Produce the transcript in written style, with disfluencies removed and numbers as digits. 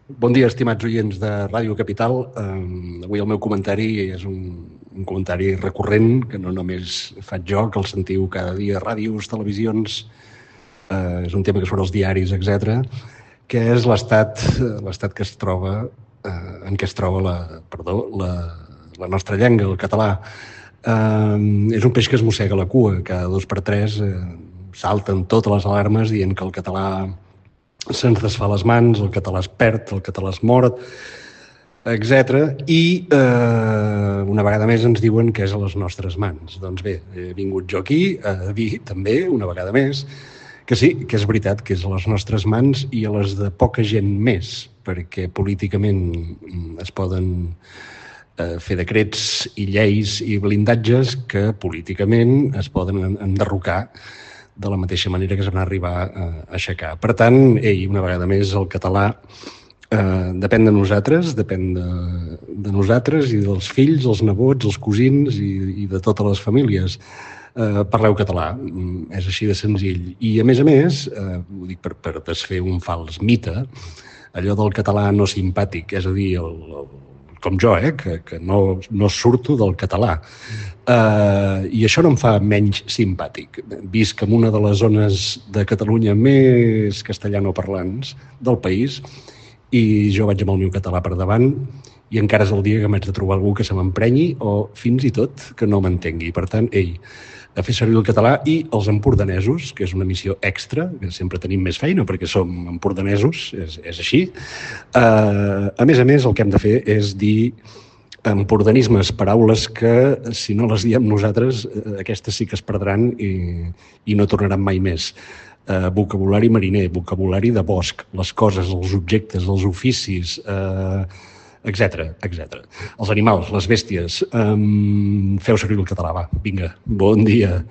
Bon dia, estimats oients de Ràdio Capital. Avui el meu comentari és un comentari recurrent, que no només faig jo, que el sentiu cada dia a ràdios, televisions, és un tema que surt als diaris, etc., que és l'estat que es troba, en què es troba la nostra llengua, el català. És un peix que es mossega la cua, cada 2 per 3 salten totes les alarmes dient que el català se'ns desfà les mans, el català es perd, el català es mor, etc. I una vegada més ens diuen que és a les nostres mans. Doncs bé, he vingut jo aquí a dir també, una vegada més, que sí, que és veritat que és a les nostres mans i a les de poca gent més, perquè políticament es poden fer decrets i lleis i blindatges que políticament es poden enderrocar de la mateixa manera que es van arribar a aixecar. Per tant, una vegada més, el català depèn de nosaltres, depèn de nosaltres i dels fills, els nebots, els cosins i de totes les famílies. Parleu català, és així de senzill. I, a més, ho dic per desfer un fals mite, allò del català no simpàtic, és a dir, com jo, que no surto del català. I això no em fa menys simpàtic. Visc en una de les zones de Catalunya més castellanoparlants del país i jo vaig amb el meu català per davant i encara és el dia que m'haig de trobar algú que se m'emprenyi o fins i tot que no m'entengui. Per tant, a fer servir el català i els empordanesos, que és una missió extra, que sempre tenim més feina perquè som empordanesos, és així. A més, el que hem de fer és dir empordanismes, paraules que, si no les diem nosaltres, aquestes sí que es perdran i no tornaran mai més. Vocabulari mariner, vocabulari de bosc, les coses, els objectes, els oficis, etc. Els animals, les bèsties. Feu servir el català, va, vinga, bon dia.